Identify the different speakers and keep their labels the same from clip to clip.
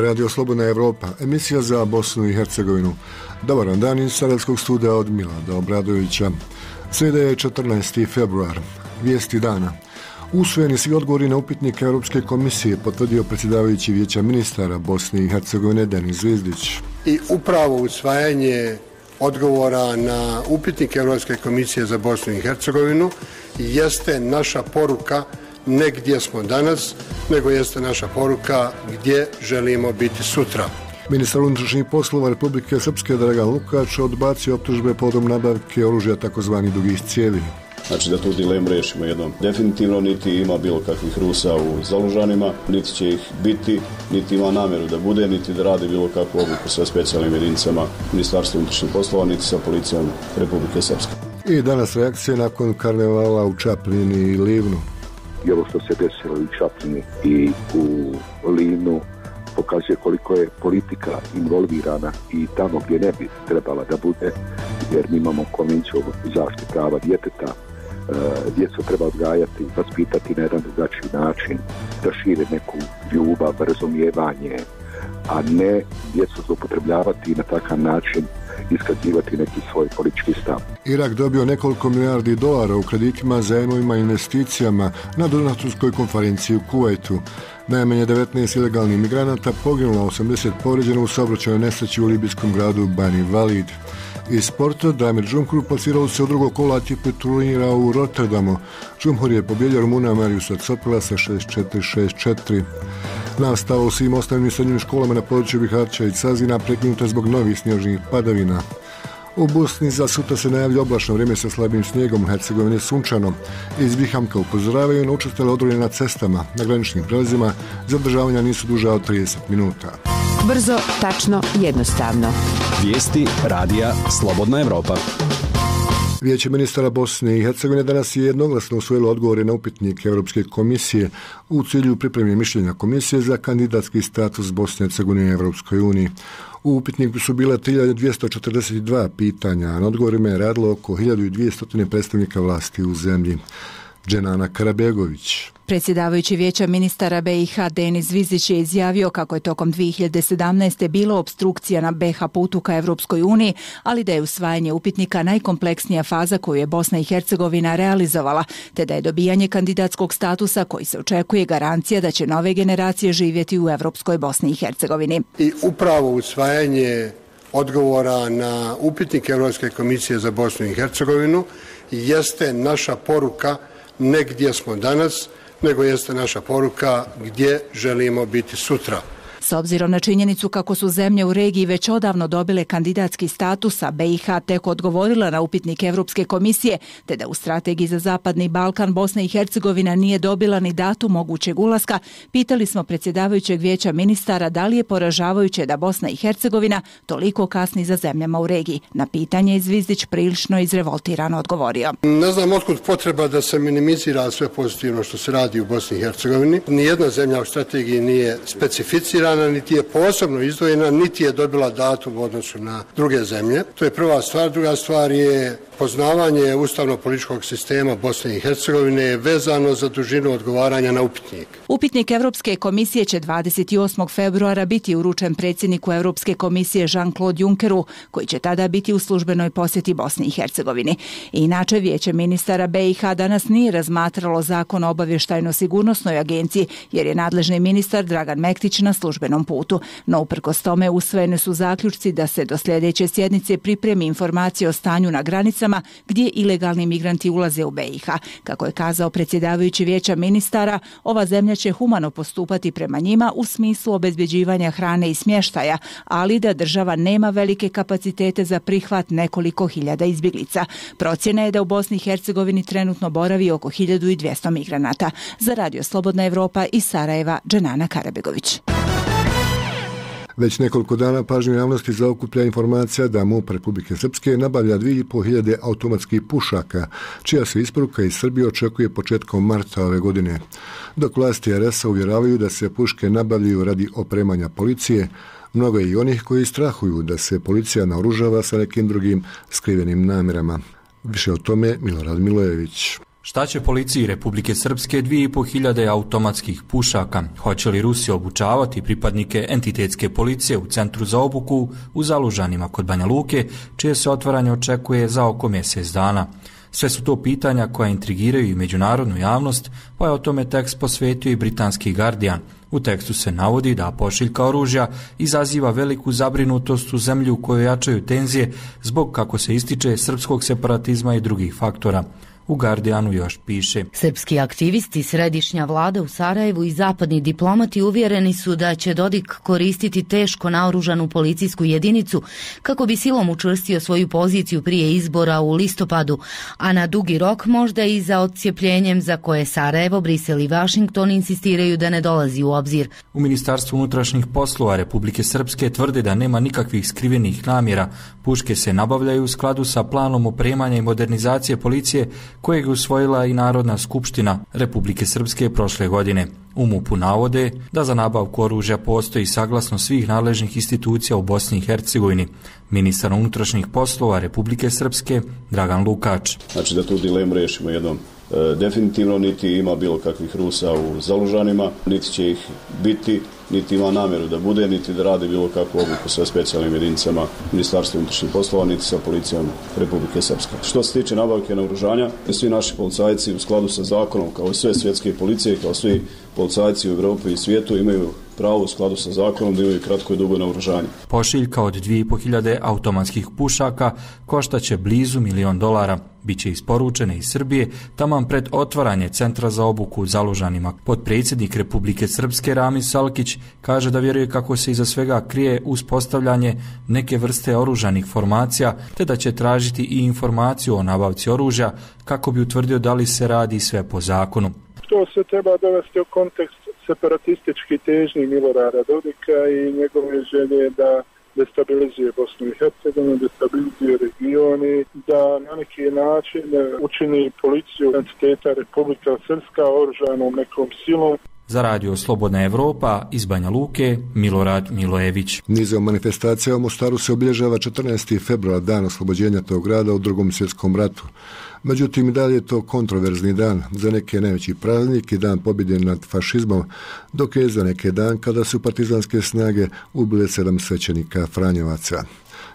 Speaker 1: Radio Slobodna Evropa, emisija za Bosnu i Hercegovinu. Dobar vam dan iz Sarajevskog studija od Milada Obradovića. Srijeda je 14. februar. Vijesti dana. Usvojeni svi odgovori na upitnik Europske komisije, potvrdio predsjedavajući Vijeća ministara Bosne i Hercegovine Denis Zvizdić.
Speaker 2: I upravo usvajanje odgovora na upitnik Europske komisije za Bosnu i Hercegovinu jeste naša poruka ne gdje smo danas, nego jeste naša poruka gdje želimo biti sutra.
Speaker 1: Ministar unutrašnjih poslova Republike Srpske Dragan Lukač odbacio optužbe povodom nabavke oružja takozvani dugih cijevi.
Speaker 3: Znači da tu dilemu riješimo jednom. Definitivno niti ima bilo kakvih Rusa u Zalužanima, niti će ih biti, niti ima namjeru da bude, niti da radi bilo kakvu obuku sa specijalnim jedinicama Ministarstva unutrašnjih poslova, niti sa policijom Republike Srpske.
Speaker 1: I danas reakcije nakon karnevala u Čapljini i Livnu.
Speaker 4: I ovo što se desilo u Čapljini i u Livnu pokazuje koliko je politika involvirana i tamo gdje ne bi trebala da bude, jer mi imamo konvenciju o zaštiti prava djeteta. Djecu treba odgajati, vaspitati na jedan drugačiji način, da šire neku ljubav, razumijevanje, a ne djecu zloupotrebljavati i na takav način iskazivati neki svoj politički stav.
Speaker 1: Irak dobio nekoliko milijardi dolara u kreditima, zajmovima i investicijama na donatorskoj konferenciji u Kuvajtu. Najmanje 19 ilegalnih migranata poginulo, 80 povrijeđeno u saobraćajnoj nesreći u libijskom gradu Bani Valid. Iz sporta Damir Džumhur plasirao se u drugog kola ATP turnira u Rotterdamu. Džumhur je pobjedio Rumuna Mariusa Copila sa 6-4-6-4. Nastava u svim osnovnim i srednjim školama na području Bihaća i Cazina prekinuta zbog novih snježnih padavina. U Bosni za sutra se najavlja oblačno vrijeme sa slabim snijegom, u Hercegovini sunčano. Iz Bihamka upozoravaju na učestale odrone na cestama, na graničnim prelazima, zadržavanja nisu duža od 30 minuta.
Speaker 5: Brzo, tačno, jednostavno.
Speaker 6: Vijesti radija Slobodna Evropa.
Speaker 1: Vijeće ministara Bosne i Hercegovine danas je jednoglasno usvojilo odgovore na upitnik Europske komisije u cilju pripreme mišljenja komisije za kandidatski status Bosne i Hercegovine u Europskoj uniji. U upitniku su bila 1242 pitanja, a na odgovorima je radilo oko 1200 predstavnika vlasti u zemlji. Dženana Karabegović.
Speaker 5: Predsjedavajući Vijeća ministara BiH Denis Zvizdić je izjavio kako je tokom 2017. bilo opstrukcija na BiH putu ka Evropskoj uniji, ali da je usvajanje upitnika najkompleksnija faza koju je Bosna i Hercegovina realizovala, te da je dobijanje kandidatskog statusa koji se očekuje garancija da će nove generacije živjeti u Evropskoj Bosni i Hercegovini.
Speaker 2: I upravo usvajanje odgovora na upitnik Europske komisije za Bosnu i Hercegovinu jeste naša poruka ne gdje smo danas, nego jeste naša poruka gdje želimo biti sutra.
Speaker 5: S obzirom na činjenicu kako su zemlje u regiji već odavno dobile kandidatski status, a BiH tek odgovorila na upitnik Europske komisije, te da u strategiji za Zapadni Balkan Bosna i Hercegovina nije dobila ni datum mogućeg ulaska, pitali smo predsjedavajućeg Vijeća ministara da li je poražavajuće da Bosna i Hercegovina toliko kasni za zemljama u regiji. Na pitanje je Zvizdić prilično izrevoltirano odgovorio.
Speaker 2: Ne znam otkud potreba da se minimizira sve pozitivno što se radi u Bosni i Hercegovini. Nijedna zemlja u strategiji nije specificirana, niti je posebno izdvojena, niti je dobila datum u odnosu na druge zemlje. To je prva stvar. Druga stvar je poznavanje ustavno-političkog sistema Bosne i Hercegovine vezano za dužinu odgovaranja na upitnik.
Speaker 5: Upitnik Europske komisije će 28. februara biti uručen predsjedniku Europske komisije Jean-Claude Junckeru, koji će tada biti u službenoj posjeti Bosni i Hercegovini. Inače, Vijeće ministara BiH danas nije razmatralo zakon o obavještajno-sigurnosnoj agenciji, jer je nadležni ministar Dragan Mektić na službenom putu. No, uprkos tome, usvojeni su zaključci da se do sljedeće sjednice pripremi informacije o stanju na granicama gdje ilegalni migranti ulaze u BiH. Kako je kazao predsjedavajući Vijeća ministara, ova zemlja će humano postupati prema njima u smislu obezbeđivanja hrane i smještaja, ali da država nema velike kapacitete za prihvat nekoliko hiljada izbjeglica. Procjena je da u Bosni i Hercegovini trenutno boravi oko 1200 migranata. Za Radio Slobodna Evropa iz Sarajeva, Dženana Karabegović.
Speaker 1: Već nekoliko dana pažnju javnosti zaokuplja informacija da MUP Republike Srpske nabavlja 2500 automatskih pušaka, čija se isporuka iz Srbije očekuje početkom marta ove godine. Dok vlasti RS-a uvjeravaju da se puške nabavljaju radi opremanja policije, mnogo je i onih koji strahuju da se policija naoružava sa nekim drugim skrivenim namjerama. Više o tome Milorad Milojević.
Speaker 7: Šta će policiji Republike Srpske 2500 automatskih pušaka? Hoće li Rusi obučavati pripadnike entitetske policije u centru za obuku u Zalužanima kod Banja Luke, čije se otvaranje očekuje za oko mjesec dana? Sve su to pitanja koja intrigiraju i međunarodnu javnost, pa je o tome tekst posvetio i britanski Guardian. U tekstu se navodi da pošiljka oružja izaziva veliku zabrinutost u zemlji u kojoj jačaju tenzije zbog, kako se ističe, srpskog separatizma i drugih faktora. U Guardianu još piše:
Speaker 8: Srpski aktivisti, središnja vlada u Sarajevu i zapadni diplomati uvjereni su da će Dodik koristiti teško naoružanu policijsku jedinicu kako bi silom učvrstio svoju poziciju prije izbora u listopadu, a na dugi rok možda i za odcijepljenjem za koje Sarajevo, Brisel i Washington insistiraju da ne dolazi u obzir.
Speaker 7: U Ministarstvu unutrašnjih poslova Republike Srpske tvrde da nema nikakvih skrivenih namjera. Puške se nabavljaju u skladu sa planom opremanja i modernizacije policije kojeg je usvojila i Narodna skupština Republike Srpske prošle godine. U MUP-u navode da za nabavku oružja postoji saglasnost svih nadležnih institucija u Bosni i Hercegovini. Ministar unutrašnjih poslova Republike Srpske Dragan Lukač.
Speaker 3: Znači da tu dilemu riješimo jednom. Definitivno niti ima bilo kakvih Rusa u Zalužanima, niti će ih biti, niti ima namjeru da bude, niti da radi bilo kakvu obuku sa specijalnim jedinicama Ministarstva unutrašnjih poslova, niti sa policijom Republike Srpske. Što se tiče nabavke naoružanja, svi naši policajci u skladu sa zakonom, kao sve svjetske policije, kao svi policajci u Europi i svijetu, imaju pravo u skladu sa zakonom da imaju kratko i dugo naoružanje.
Speaker 7: Pošiljka od 2500 automatskih pušaka koštaće blizu $1 milion. Biće isporučene iz Srbije taman pred otvaranje centra za obuku u Zalužanima. Potpredsjednik Republike Srpske Ramis Salkić kaže da vjeruje kako se iza svega krije uspostavljanje neke vrste oružanih formacija, te da će tražiti i informaciju o nabavci oružja kako bi utvrdio da li se radi sve po zakonu.
Speaker 9: To se treba dovesti u kontekst separatistički težnji Milorada Dodika i njegove želje da destabilizuje Bosnu i Hercegovinu, destabilizuje region i da na neki način učini policiju entiteta Republika Srpska oružanom nekom silom.
Speaker 7: Za radio Slobodna Evropa iz Banja Luke, Milorad Milojević.
Speaker 1: Nizom manifestacija u Mostaru se obilježava 14. februar, dan oslobođenja tog grada u Drugom svjetskom ratu. Međutim, i dalje je to kontroverzni dan, za neke najveći praznik i dan pobjede nad fašizmom, dok je za neke dan kada su partizanske snage ubile 7 svećenika Franjevaca.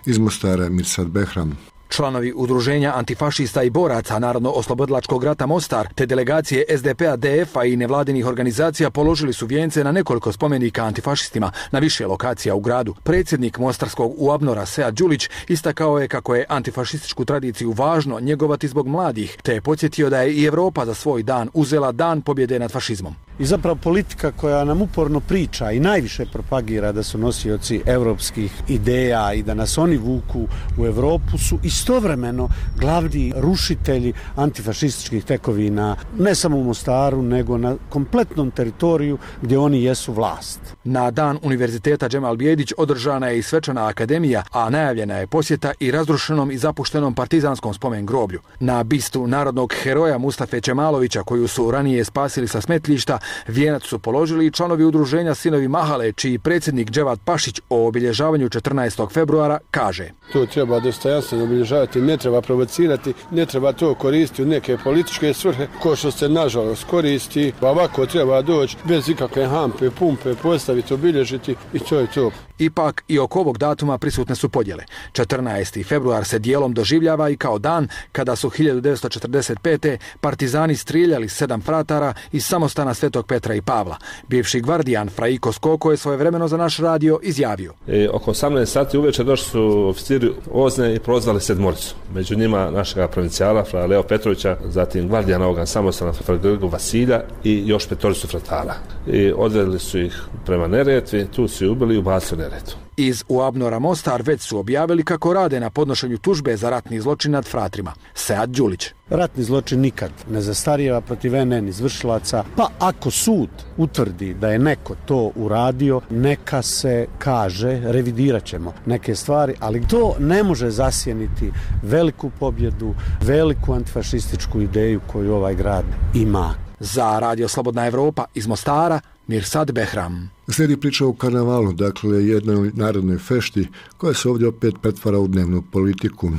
Speaker 1: Iz Mostara Mirsad Behram.
Speaker 10: Članovi udruženja antifašista i boraca Narodno-oslobodilačkog rata Mostar te delegacije SDP-a, DF-a i nevladinih organizacija položili su vijence na nekoliko spomenika antifašistima na više lokacija u gradu. Predsjednik Mostarskog UABNOR-a Sead Đulić istakao je kako je antifašističku tradiciju važno njegovati zbog mladih, te je podsjetio da je i Europa za svoj dan uzela dan pobjede nad fašizmom.
Speaker 11: I zapravo politika koja nam uporno priča i najviše propagira da su nosioci europskih ideja i da nas oni vuku u Europu su istovremeno glavni rušitelji antifašističkih tekovina, ne samo u Mostaru, nego na kompletnom teritoriju gdje oni jesu vlast.
Speaker 10: Na dan Univerziteta Džemal Bijedić održana je i svečana akademija, a najavljena je posjeta i razrušenom i zapuštenom partizanskom spomen groblju. Na bistu narodnog heroja Mustafe Čemalovića, koju su ranije spasili sa smetlišta, vijenac su položili i članovi udruženja Sinovi Mahale, čiji predsjednik Dževat Pašić o obilježavanju 14. februara kaže:
Speaker 12: To treba dostojanstveno obilježavati, ne treba provocirati, ne treba to koristiti u neke političke svrhe, ko što se nažalost koristi, pa ovako treba doći bez ikakve hampe, pumpe, postaviti, obilježiti i to je to.
Speaker 10: Ipak i oko ovog datuma prisutne su podjele. 14. februar se dijelom doživljava i kao dan kada su 1945. partizani strijeljali 7 fratara iz samostana Svetog Petra i Pavla. Bivši gvardijan Fraiko Skoko je svojevremeno za naš radio izjavio:
Speaker 13: Oko 18 sati uveče došli su oficiri Ozne i prozvali 7. Među njima našega provincijala Fra Leo Petrovića, zatim gvardijana ovoga samostana Fra Grgu Vasilja i još 5 fratara. I odvedli su ih prema Neretvi, tu su ih ubili i ubacili Neretvu.
Speaker 10: Iz UABNOR-a Mostar već su objavili kako rade na podnošenju tužbe za ratni zločin nad fratrima. Sead Đulić.
Speaker 11: Ratni zločin nikad ne zastarijeva protiv NN izvršilaca, pa ako sud utvrdi da je neko to uradio, neka se kaže, revidirat ćemo neke stvari, ali to ne može zasjeniti veliku pobjedu, veliku antifašističku ideju koju ovaj grad ima.
Speaker 10: Za radio Slobodna Evropa iz Mostara, Mirsad Behram.
Speaker 1: Slijedi priča o karnevalu, dakle jednoj narodnoj fešti koja se ovdje opet pretvara u dnevnu politiku.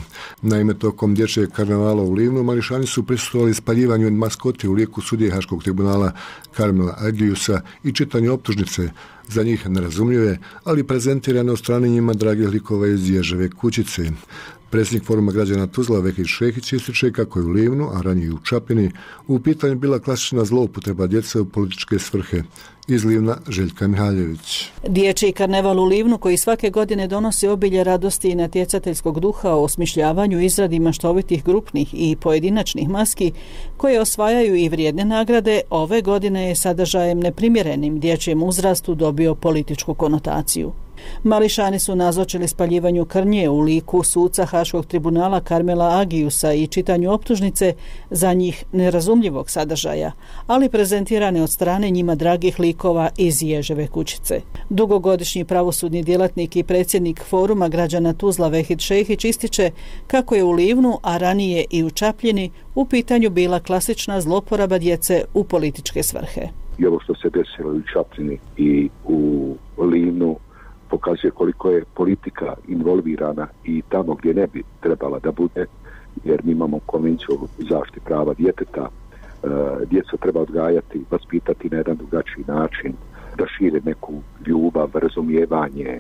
Speaker 1: Naime, tokom dječjeg karnevala u Livnu mališani su prisustvovali spaljivanju maskoti u liku sudije Haškog tribunala Karmela Agiusa i čitanju optužnice, za njih nerazumljive, ali prezentirane od strane njima dragih likova iz Ježeve kućice. Predsjednik Foruma građana Tuzla Vehid Šehić ističe kako je u Livnu, a ranije i u Čapini, u pitanju bila klasična zloupotreba djece u političke svrhe. Iz Livna Željka Mihaljević.
Speaker 14: Dječji karneval u Livnu, koji svake godine donosi obilje radosti i natjecateljskog duha o osmišljavanju i izradi maštovitih grupnih i pojedinačnih maski koje osvajaju i vrijedne nagrade, ove godine je sadržajem neprimjerenim dječjem uzrastu dobio političku konotaciju. Mališani su nazočili spaljivanju krnje u liku suca Haškog tribunala Karmela Agiusa i čitanju optužnice, za njih nerazumljivog sadržaja, ali prezentirane od strane njima dragih likova iz Ježeve kućice. Dugogodišnji pravosudni djelatnik i predsjednik Foruma građana Tuzla Vehid Šehić ističe kako je u Livnu, a ranije i u Čapljini, u pitanju bila klasična zloporaba djece u političke svrhe.
Speaker 4: I ovo što se desilo i u Čapljini i u Livnu pokazuje koliko je politika involvirana i tamo gdje ne bi trebala da bude, jer mi imamo konvenciju o zaštiti prava djeteta. Djecu treba odgajati, vaspitati na jedan drugačiji način, da šire neku ljubav, razumijevanje,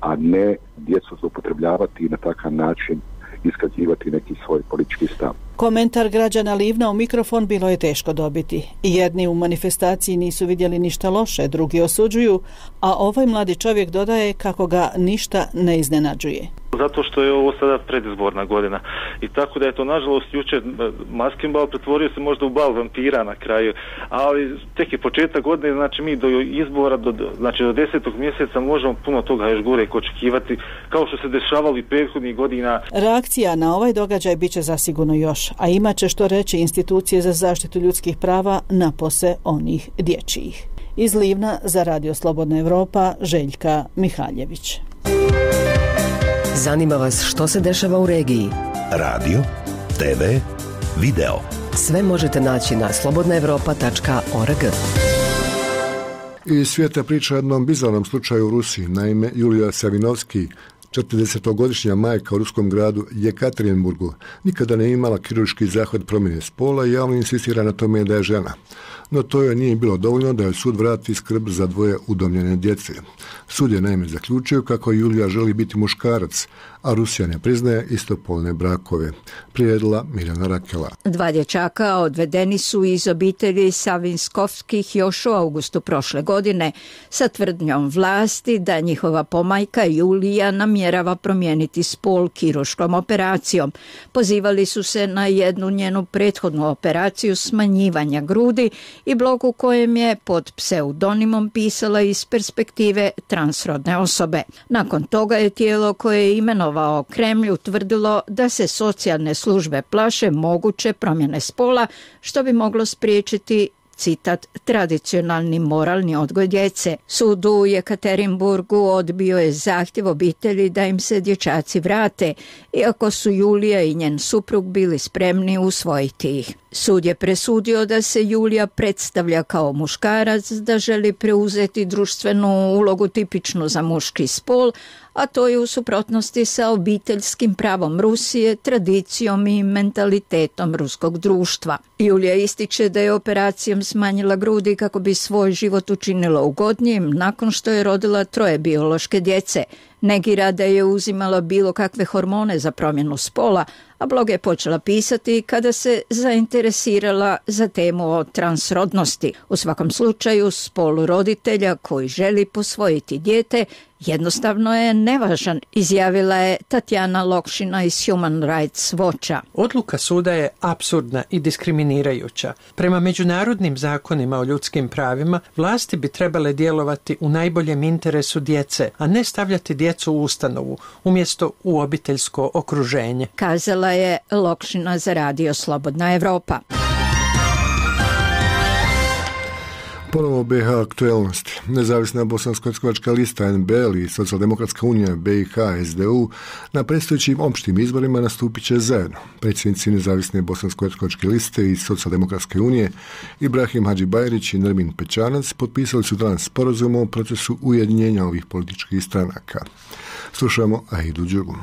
Speaker 4: a ne djecu zloupotrebljavati i na takav način iskazivati neki svoj politički stav.
Speaker 14: Komentar građana Livna u mikrofon bilo je teško dobiti. Jedni u manifestaciji nisu vidjeli ništa loše, drugi osuđuju, a ovaj mladi čovjek dodaje kako ga ništa ne iznenađuje.
Speaker 15: Zato što je ovo sada predizborna godina i tako da je to nažalost jučer maskin bal pretvorio se možda u bal vampira na kraju, ali tek je početak godine, znači mi do izbora, do 10. mjeseca možemo puno toga još gore očekivati, kao što se dešavalo i prethodnih godina.
Speaker 14: Reakcija na ovaj događaj bit će zasigurno još, a imat će što reći institucije za zaštitu ljudskih prava napose onih dječjih. Iz Livna za Radio Slobodna Evropa, Željka Mihaljević.
Speaker 16: Zanima vas što se dešava u regiji? Radio, TV, video. Sve možete naći na slobodnaevropa.org.
Speaker 1: Iz svijeta priča o jednom bizarnom slučaju u Rusiji. Naime, Julija Savinovski, 40-godišnja majka u ruskom gradu Jekaterinburgu, nikada ne imala kirurški zahvat promjene spola i javno insistira na tome da je žena. No to joj nije bilo dovoljno da joj sud vrati skrb za dvoje udomljene djece. Sud je naime zaključio kako Julija želi biti muškarac, a Rusija ne priznaje istopolne brakove. Prijedila Mirjana Rakela.
Speaker 17: Dva dječaka odvedeni su iz obitelji Savinskovskih još u augustu prošle godine sa tvrdnjom vlasti da njihova pomajka Julija namjerava promijeniti spol kirurškom operacijom. Pozivali su se na jednu njenu prethodnu operaciju smanjivanja grudi i blog u kojem je pod pseudonimom pisala iz perspektive transrodne osobe. Nakon toga je tijelo koje je imenovao Kremlj utvrdilo da se socijalne službe plaše moguće promjene spola, što bi moglo spriječiti, citat, tradicionalni moralni odgoj djece. Sud u Jekaterinburgu odbio je zahtjev obitelji da im se dječaci vrate, iako su Julija i njen suprug bili spremni usvojiti ih. Sud je presudio da se Julija predstavlja kao muškarac, da želi preuzeti društvenu ulogu tipičnu za muški spol, a to je u suprotnosti sa obiteljskim pravom Rusije, tradicijom i mentalitetom ruskog društva. Julija ističe da je operacijom smanjila grudi kako bi svoj život učinila ugodnijim nakon što je rodila 3 biološke djece. Negira da je uzimala bilo kakve hormone za promjenu spola, a blog je počela pisati kada se zainteresirala za temu o transrodnosti. U svakom slučaju, spol roditelja koji želi posvojiti dijete jednostavno je nevažan, izjavila je Tatjana Lokšina iz Human Rights Watcha.
Speaker 18: Odluka suda je apsurdna i diskriminirajuća. Prema međunarodnim zakonima o ljudskim pravima, vlasti bi trebale djelovati u najboljem interesu djece, a ne stavljati djecu u ustanovu, umjesto u obiteljsko okruženje,
Speaker 17: kazala je Lokšina za Radio Slobodna Evropa.
Speaker 1: Ponovo BiH aktuelnosti. Nezavisna bosansko-hercegovačka lista NBL i Socijaldemokratska unija BiH SDU na predstojećim opštim izborima nastupit će zajedno. Predsjednici Nezavisne bosansko-hercegovačke liste i Socijaldemokratske unije Ibrahim Hadžibajrić i Nermin Pećanac potpisali su danas sporazum o procesu ujedinjenja ovih političkih stranaka. Slušamo Aidu Đugu.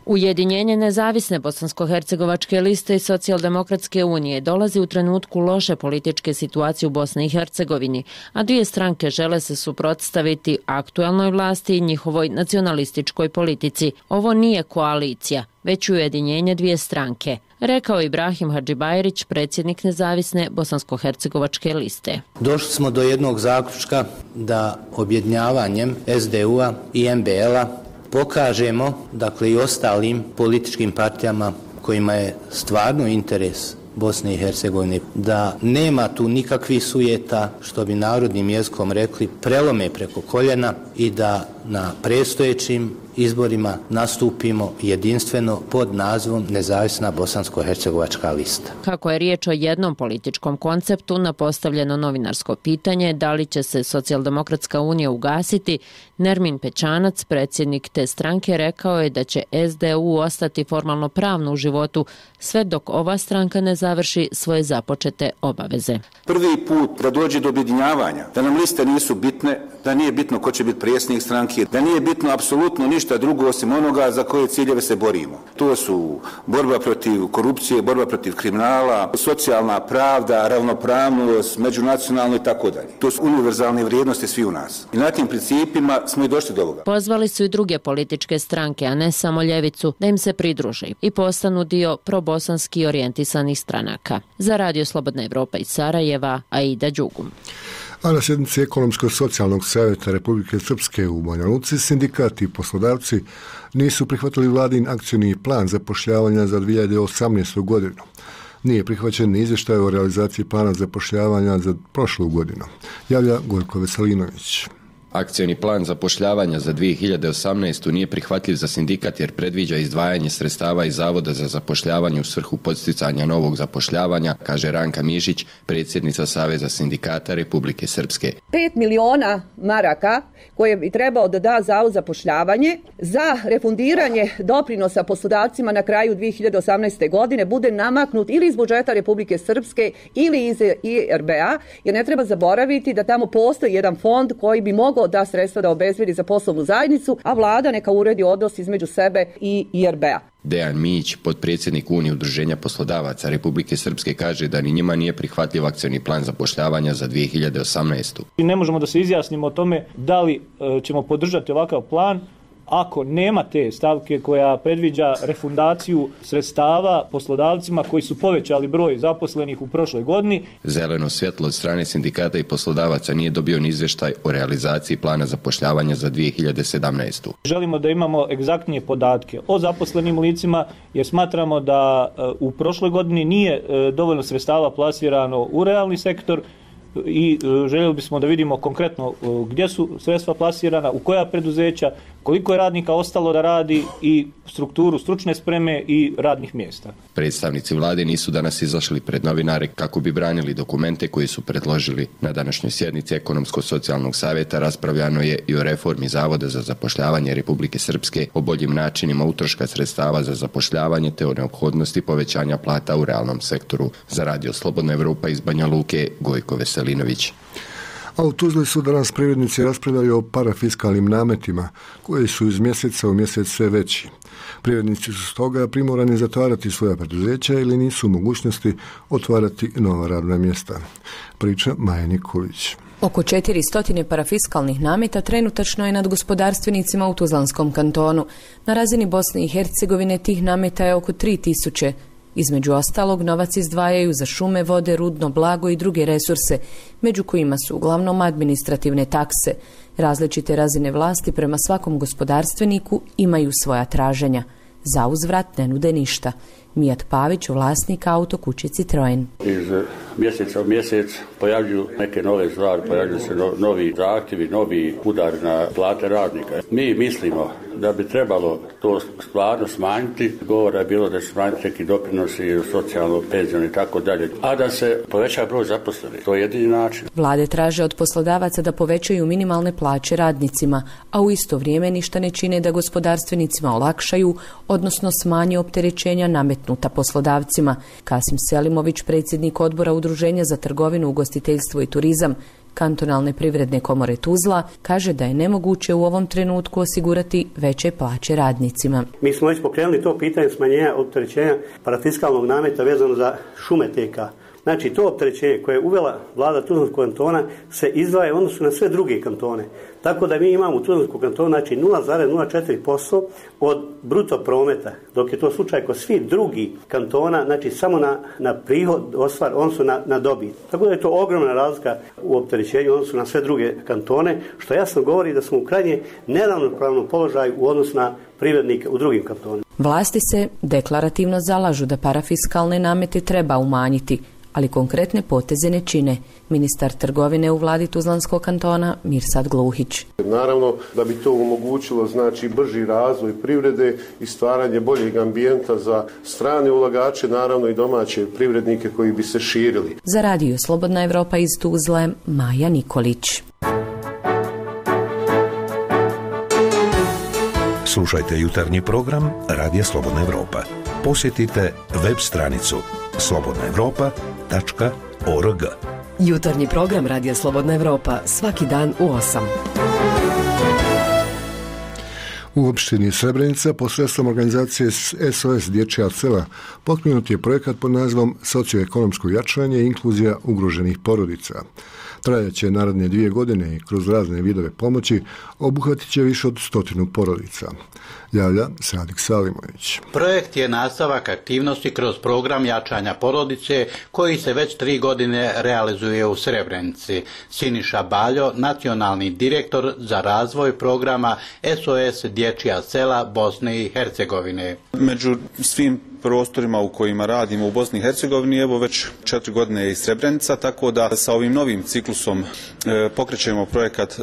Speaker 19: Ujedinjenje Nezavisne bosansko-hercegovačke liste i Socijaldemokratske unije dolazi u trenutku loše političke situacije u Bosni i Hercegovini, a dvije stranke žele se suprotstaviti aktuelnoj vlasti i njihovoj nacionalističkoj politici. Ovo nije koalicija, već ujedinjenje dvije stranke, rekao Ibrahim Hadžibajrić, predsjednik Nezavisne bosansko-hercegovačke liste.
Speaker 20: Došli smo do jednog zaključka da objedinjavanjem SDU-a i MBL-a pokažemo, dakle, i ostalim političkim partijama kojima je stvarno interes Bosne i Hercegovine, da nema tu nikakvih sujeta, što bi narodnim jezikom rekli, prelome preko koljena i da na predstojećim izborima nastupimo jedinstveno pod nazivom Nezavisna bosansko-hercegovačka lista.
Speaker 19: Kako je riječ o jednom političkom konceptu, na postavljeno novinarsko pitanje da li će se Socijaldemokratska unija ugasiti, Nermin Pećanac, predsjednik te stranke, rekao je da će SDU ostati formalno pravno u životu sve dok ova stranka ne završi svoje započete obaveze.
Speaker 21: Prvi put da dođe do objedinjavanja, da nam liste nisu bitne, da nije bitno ko će biti predsjednik stranke, da nije bitno apsolutno ništa drugo osim onoga za koje ciljeve se borimo. To su borba protiv korupcije, borba protiv kriminala, socijalna pravda, ravnopravnost, međunacionalno i tako dalje. To su univerzalne vrijednosti svi u nas. I na tim principima smo i došli do ovoga.
Speaker 19: Pozvali su i druge političke stranke, a ne samo ljevicu, da im se pridruže i postanu dio probosanski orijentisanih stranaka. Za Radio Slobodna Evropa iz Sarajeva, Aida Đugum.
Speaker 1: A na sjednici Ekonomsko-socijalnog savjeta Republike Srpske u Banja Luci sindikati i poslodavci nisu prihvatili vladin akcioni plan zapošljavanja za 2018. godinu. Nije prihvaćen izvještaj o realizaciji plana zapošljavanja za prošlu godinu, javlja Gojko Veselinović.
Speaker 22: Akcioni plan zapošljavanja za 2018. nije prihvatljiv za sindikat jer predviđa izdvajanje sredstava iz Zavoda za zapošljavanje u svrhu podsticanja novog zapošljavanja, kaže Ranka Mišić, predsjednica Saveza sindikata Republike Srpske.
Speaker 23: 5 miliona maraka koje bi trebao da da Zavod za zapošljavanje za refundiranje doprinosa poslodavcima na kraju 2018. godine bude namaknut ili iz budžeta Republike Srpske ili iz IRB-a, jer ne treba zaboraviti da tamo postoji jedan fond koji bi mogao da sredstva da obezbedi za poslovnu zajednicu, a vlada neka uredi odnos između sebe i IRB-a.
Speaker 22: Dejan Mić, potpredsjednik Unije udruženja poslodavaca Republike Srpske, kaže da ni njima nije prihvatljiv akcioni plan zapošljavanja za 2018.
Speaker 24: Ne možemo da se izjasnimo o tome da li ćemo podržati ovakav plan ako nema te stavke koja predviđa refundaciju sredstava poslodavcima koji su povećali broj zaposlenih u prošloj godini.
Speaker 22: Zeleno svjetlo od strane sindikata i poslodavaca nije dobio ni izvještaj o realizaciji plana zapošljavanja za 2017.
Speaker 24: Želimo da imamo egzaktnije podatke o zaposlenim licima jer smatramo da u prošloj godini nije dovoljno sredstava plasirano u realni sektor i željeli bismo da vidimo konkretno gdje su sredstva plasirana, u koja preduzeća, koliko je radnika ostalo da radi i strukturu stručne spreme i radnih mjesta.
Speaker 22: Predstavnici vlade nisu danas izašli pred novinare kako bi branili dokumente koji su predložili. Na današnjoj sjednici Ekonomsko-socijalnog savjeta raspravljano je i o reformi Zavoda za zapošljavanje Republike Srpske, o boljim načinima utroška sredstava za zapošljavanje te o neophodnosti povećanja plata u realnom sektoru. Za Radio Slobodna Evropa iz Banja Luke, Gojko Veselinović.
Speaker 1: A u Tuzli su danas privrednici raspravljali o parafiskalnim nametima koji su iz mjeseca u mjesec sve veći. Privrednici su stoga primorani zatvarati svoja preduzeća ili nisu u mogućnosti otvarati nova radna mjesta. Priča Maja Nikolić.
Speaker 25: Oko 400 parafiskalnih nameta trenutačno je nad gospodarstvenicima u Tuzlanskom kantonu. Na razini Bosne i Hercegovine tih nameta je oko 3000. Između ostalog, novac izdvajaju za šume, vode, rudno blago i druge resurse, među kojima su uglavnom administrativne takse. Različite razine vlasti prema svakom gospodarstveniku imaju svoja traženja. Za uzvrat ne nude ništa. Mijat Pavić, vlasnik autokuće Citroen.
Speaker 2: Iz mjeseca u mjesec pojavljuju neke nove stvari, pojavljuju se novi zahtjevi, novi udar na plate radnika. Mi mislimo da bi trebalo to stvarno smanjiti. Govora je bilo da se smanjiti neki doprinosi, socijalno, penzijno i tako dalje, a da se poveća broj zaposlenih. To je jedini način.
Speaker 25: Vlade traže od poslodavaca da povećaju minimalne plaće radnicima, a u isto vrijeme ništa ne čine da gospodarstvenicima olakšaju, odnosno smanje opterećenja nametnuta poslodavcima. Kasim Selimović, predsjednik odbora Udruženja za trgovinu, ugostiteljstvo i turizam Kantonalne privredne komore Tuzla, kaže da je nemoguće u ovom trenutku osigurati veće plaće radnicima.
Speaker 3: Mi smo već pokrenuli to pitanje smanjenja opterećenja parafiskalnog nameta vezano za šume TK. Znači, to opterećenje koje je uvela vlada Tuzlanskog kantona se izdvaja u odnosu na sve druge kantone. Tako da mi imamo u Tuzlanskom kantonu znači 0,04% od bruto prometa, dok je to slučaj kod svih drugih kantona, znači samo na prihod ostvar, odnosno na dobit. Tako da je to ogromna razlika u opterećenju odnosu na sve druge kantone, što jasno govori da smo u krajnje neravnopravnom položaju u odnosu na privrednike u drugim kantonima.
Speaker 25: Vlasti se deklarativno zalažu da parafiskalne namete treba umanjiti, ali konkretne poteze ne čine. Ministar trgovine u vladi Tuzlanskog kantona Mirsad Gluhić.
Speaker 5: Naravno da bi to omogućilo znači brži razvoj privrede i stvaranje boljeg ambijenta za strane ulagače, naravno i domaće privrednike koji bi se širili.
Speaker 25: Za Radio Slobodna Evropa iz Tuzle, Maja Nikolić.
Speaker 6: Slušajte jutarnji program Radija Slobodna Evropa. Posjetite web stranicu slobodnaevropa.org.
Speaker 25: Jutarnji program Radija Slobodna Evropa svaki dan u 8.
Speaker 1: U opštini Srebrenica posredstvom organizacije SOS Dječja sela pokrenut je projekat pod nazivom Socioekonomsko jačanje i inkluzija ugroženih porodica. Trajaće naredne 2 godine i kroz razne vidove pomoći obuhvatit će više od 100 porodica. Javlja Sadik Salimović.
Speaker 8: Projekt je nastavak aktivnosti kroz program jačanja porodice koji se već 3 godine realizuje u Srebrenici. Siniša Baljo, nacionalni direktor za razvoj programa SOS Dječja sela Bosne i Hercegovine.
Speaker 26: Među svim prostorima u kojima radimo u Bosni i Hercegovini, evo već 4 godine je i Srebrenica, tako da sa ovim novim ciklusom pokrećemo projekat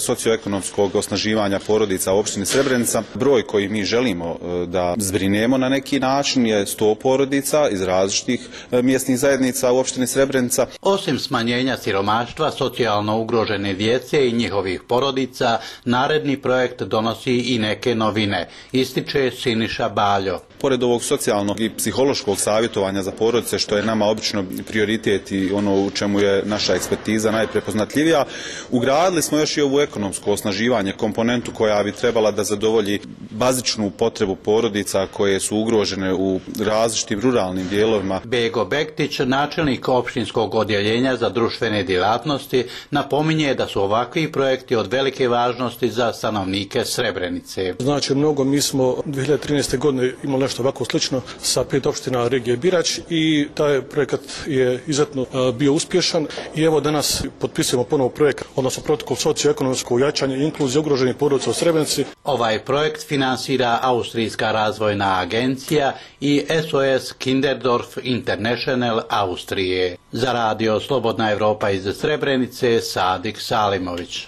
Speaker 26: socioekonomskog osnaživanja porodica u opštini Srebrenica. Broj koji mi želimo da zbrinemo na neki način je 100 porodica iz različitih mjesnih zajednica u opštini Srebrenica.
Speaker 8: Osim smanjenja siromaštva, socijalno ugrožene djece i njihovih porodica, naredni projekt donosi i neke novine, ističe Siniša Baljo.
Speaker 26: Pored ovog socijalnog i psihološkog savjetovanja za porodice, što je nama obično prioritet i ono u čemu je naša ekspertiza najprepoznatljivija, ugradili smo još i ovu ekonomsko osnaživanje, komponentu koja bi trebala da zadovolji bazičnu potrebu porodica koje su ugrožene u različitim ruralnim dijelovima.
Speaker 8: Bego Bektić, načelnik opštinskog odjeljenja za društvene djelatnosti, napominje da su ovakvi projekti od velike važnosti za stanovnike Srebrenice.
Speaker 27: Znači mnogo, mi smo 2013. godine imali nešto ovako slično sa 5 opština regije Birać i taj projekat je izuzetno bio uspješan i evo danas potpisujemo ponovo projekt, odnosno protokol socioekonomsko jačanje i inkluzije ugroženih porodica u Srebrenici.
Speaker 8: Ovaj projekt finansira Austrijska razvojna agencija i SOS Kinderdorf International Austrije. Za Radio Slobodna Evropa iz Srebrenice, Sadik Salimović.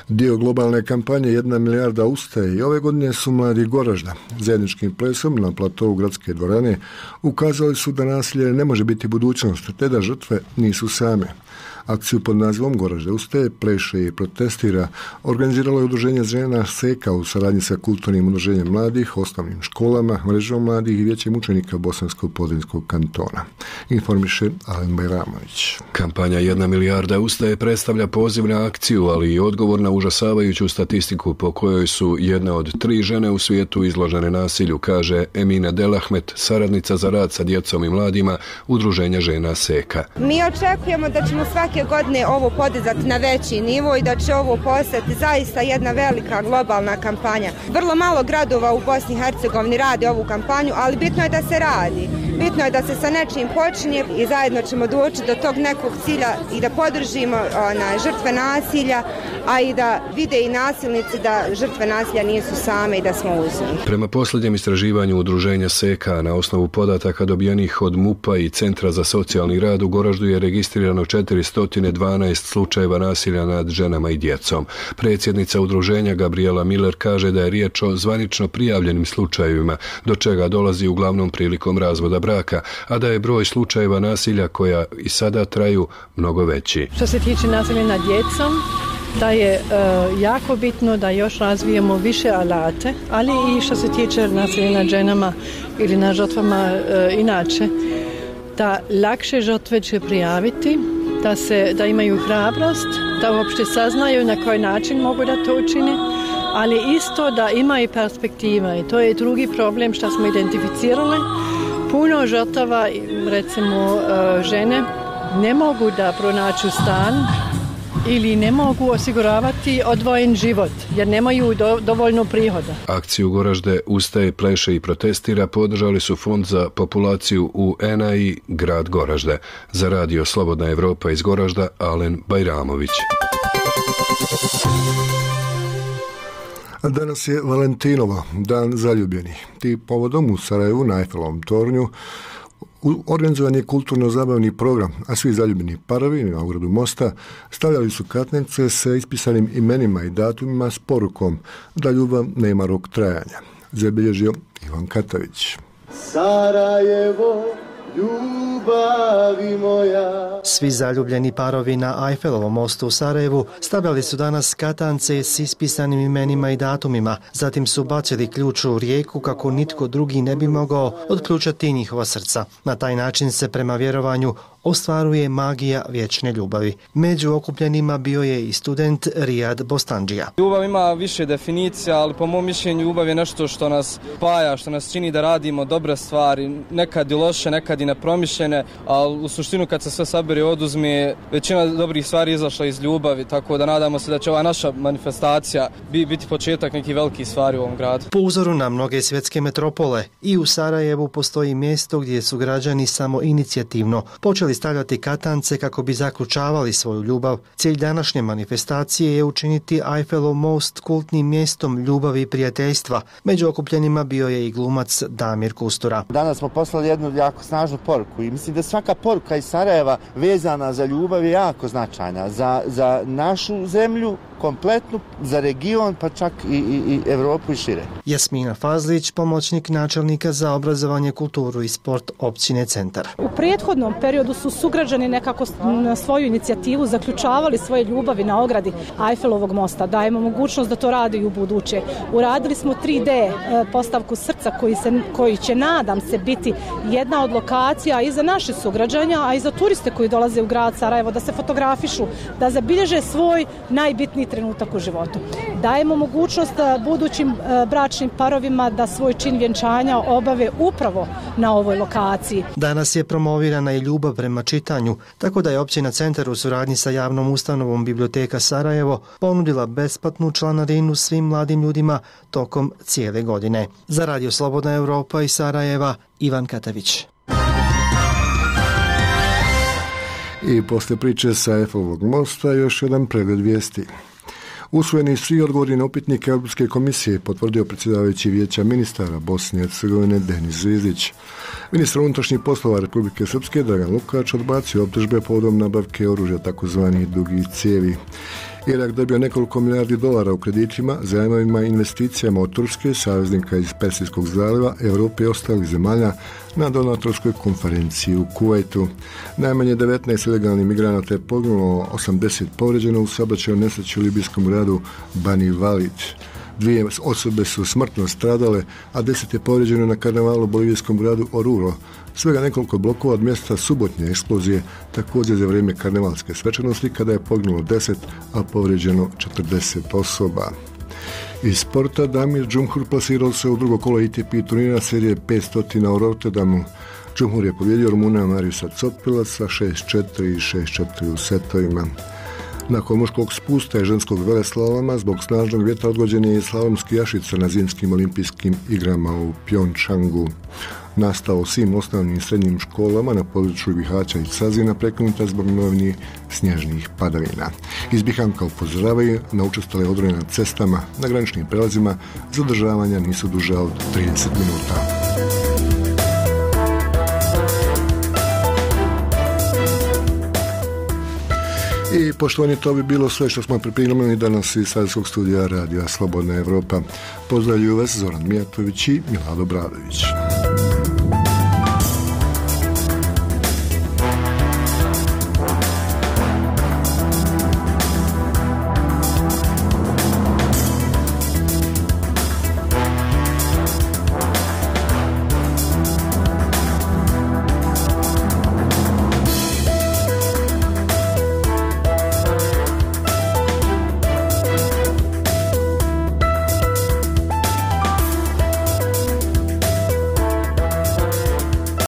Speaker 1: Dio globalne kampanje 1 milijarda ustaje i ove godine su mladi Goražda zajedničkim plesom na platovu Gradske dvorane ukazali su da nasilje ne može biti budućnost, te da žrtve nisu same. Akciju pod nazivom Goražde ustaje, pleše i protestira organiziralo je udruženje žena SEKA u saradnji sa kulturnim udruženjem mladih, osnovnim školama, mrežom mladih i vijećem učenika Bosanskog podrinskog kantona. Informiše Alen Bajramović.
Speaker 28: Kampanja 1 milijarda ustaje predstavlja poziv na akciju, ali i odgovor na užasavajuću statistiku po kojoj su 1 od 3 žene u svijetu izložene nasilju, kaže Emina Delahmet, saradnica za rad sa djecom i mladima udruženja žena SEKA.
Speaker 29: Mi očekujemo da ćemo svake
Speaker 4: svake godine ovo podizati na veći nivo i da će ovo postati zaista jedna velika globalna kampanja. Vrlo malo gradova u Bosni i Hercegovini radi ovu kampanju, ali bitno je da se radi. Bitno je da se sa nečim počinje i zajedno ćemo doći do tog nekog cilja i da podržimo žrtve nasilja, a i da vide i nasilnici da žrtve nasilja nisu same i da smo uz njih.
Speaker 28: Prema posljednjem istraživanju udruženja SEKA na osnovu podataka dobijenih od MUP-a i Centra za socijalni rad u Goraždu je registrirano 412 slučajeva nasilja nad ženama i djecom. Predsjednica udruženja Gabriela Miller kaže da je riječ o zvanično prijavljenim slučajevima, do čega dolazi uglavnom prilikom razvoda braka, a da je broj slučajeva nasilja koja i sada traju mnogo veći.
Speaker 7: Što se tiče nasilja nad djecom, da je jako bitno da još razvijemo više alate, ali i što se tiče nasilja nad ženama ili nad žrtvama inače, da lakše žrtve će prijaviti, da imaju hrabrost, da uopšte saznaju na koji način mogu da to učine, ali isto da ima i perspektiva. I to je drugi problem što smo identificirali. Puno žrtava, recimo žene, ne mogu da pronaću stan ili ne mogu osiguravati odvojen život jer nemaju dovoljno prihoda.
Speaker 28: Akciju Goražde ustaje, pleše i protestira podržali su Fond za populaciju UN-a i grad Goražde. Za radio Slobodna Evropa iz Goražda, Alen Bajramović.
Speaker 1: Danas je Valentinovo, dan zaljubljenih. Ti povodom u Sarajevu na Eiffelovom tornju organizovan je kulturno-zabavni program, a svi zaljubljeni parovi na ogradu mosta stavljali su katnice sa ispisanim imenima i datumima s porukom da ljubav nema rok trajanja. Zabilježio Ivan Katavić.
Speaker 9: Sarajevo, ljubavi moja.
Speaker 10: Svi zaljubljeni parovi na Eiffelovom mostu u Sarajevu stavljali su danas katance s ispisanim imenima i datumima, zatim su bacili ključ u rijeku kako nitko drugi ne bi mogao otključati njihova srca. Na taj način se prema vjerovanju ostvaruje magija vječne ljubavi. Među okupljenima bio je i student Rijad Bostandžija.
Speaker 11: Ljubav ima više definicija, ali po mom mišljenju ljubav je nešto što nas spaja, što nas čini da radimo dobre stvari, nekad i loše, nekad i nepromišljene, ali u suštinu kad se sve sabere i oduzme, većina dobrih stvari izašla iz ljubavi, tako da nadamo se da će ova naša manifestacija biti početak nekih velikih stvari u ovom gradu.
Speaker 10: Po uzoru na mnoge svjetske metropole, i u Sarajevu postoji mjesto gdje su građani samo inicijativno počeli stavljati katance kako bi zaključavali svoju ljubav. Cilj današnje manifestacije je učiniti Eiffelov most kultnim mjestom ljubavi i prijateljstva. Među okupljenima bio je i glumac Damir Kustura.
Speaker 9: Danas smo poslali jednu jako snažnu poruku i mislim da svaka poruka iz Sarajeva vezana za ljubav je jako značajna. Za našu zemlju kompletnu, za region, pa čak i Evropu i šire.
Speaker 10: Jasmina Fazlić, pomoćnik načelnika za obrazovanje, kulturu i sport općine Centar.
Speaker 12: U prethodnom periodu su sugrađani nekako na svoju inicijativu zaključavali svoje ljubavi na ogradi Eiffelovog mosta. Dajemo mogućnost da to rade i u buduće. Uradili smo 3D postavku srca koji će, nadam se, biti jedna od lokacija i za naše sugrađanja, a i za turiste koji dolaze u grad Sarajevo da se fotografišu, da zabilježe svoj najbitniji trenutak u životu. Dajemo mogućnost budućim bračnim parovima da svoj čin vjenčanja obave upravo na ovoj lokaciji.
Speaker 10: Danas je promovirana i ljubav prema čitanju, tako da je općina Centar u suradnji sa javnom ustanovom Biblioteka Sarajevo ponudila besplatnu članarinu svim mladim ljudima tokom cijele godine. Za radio Slobodna Evropa iz Sarajeva, Ivan Katavić.
Speaker 1: I poslije priče sa Eiffelovog mosta još jedan pregled vijesti. Usvojeni svi odgovori na upitnike Europske komisije potvrdio predsjedavajući Vijeća ministara Bosne i Hercegovine Denis Zvizdić. Ministar unutrašnjih poslova Republike Srpske Dragan Lukač odbacio optužbe povodom nabavke oružja takozvanih dugih cijevi. Irak dobio nekoliko milijardi dolara u kreditima, zajmovima i investicijama od Turske, saveznika iz Persijskog zaljeva, Europe i ostalih zemalja na donatorskoj konferenciji u Kuvajtu. Najmanje 19 ilegalnih migranata je poginulo, 80 povrijeđeno u saobraćajnoj nesreći u libijskom gradu Bani Walid. 2 osobe su smrtno stradale, a 10 je povrijeđeno na karnevalu u bolivijskom gradu Oruro. Svega nekoliko blokova od mjesta subotnje eksplozije, također za vrijeme karnevalske svečanosti, kada je poginulo 10, a povrijeđeno 40 osoba. Iz sporta Damir Džumhur plasirao se u drugo kolo ATP turnira serije 500 u Rotterdamu. Džumhur je pobjedio Rumuna Mariusa Copila sa 6-4 i 6-4 u setovima. Nakon muškog spusta i ženskog veleslaloma zbog snažnog vjetra odgođen je i slalomski jašica na zimskim olimpijskim igrama u Pjongčangu. Nastao u svim osnovnim i srednjim školama na području Bihaća i Cazina prekinuta zbog novnih snježnih padavina. Iz Bihanka upozoravaju na učestale odroje na cestama, na graničnim prelazima, zadržavanja nisu duže od 30 minuta. I poštovani, to bi bilo sve što smo pripremili danas iz Savjetskog studija Radija Slobodna Evropa. Pozdravljuju vas Zoran Mijatović i Milado Bradović.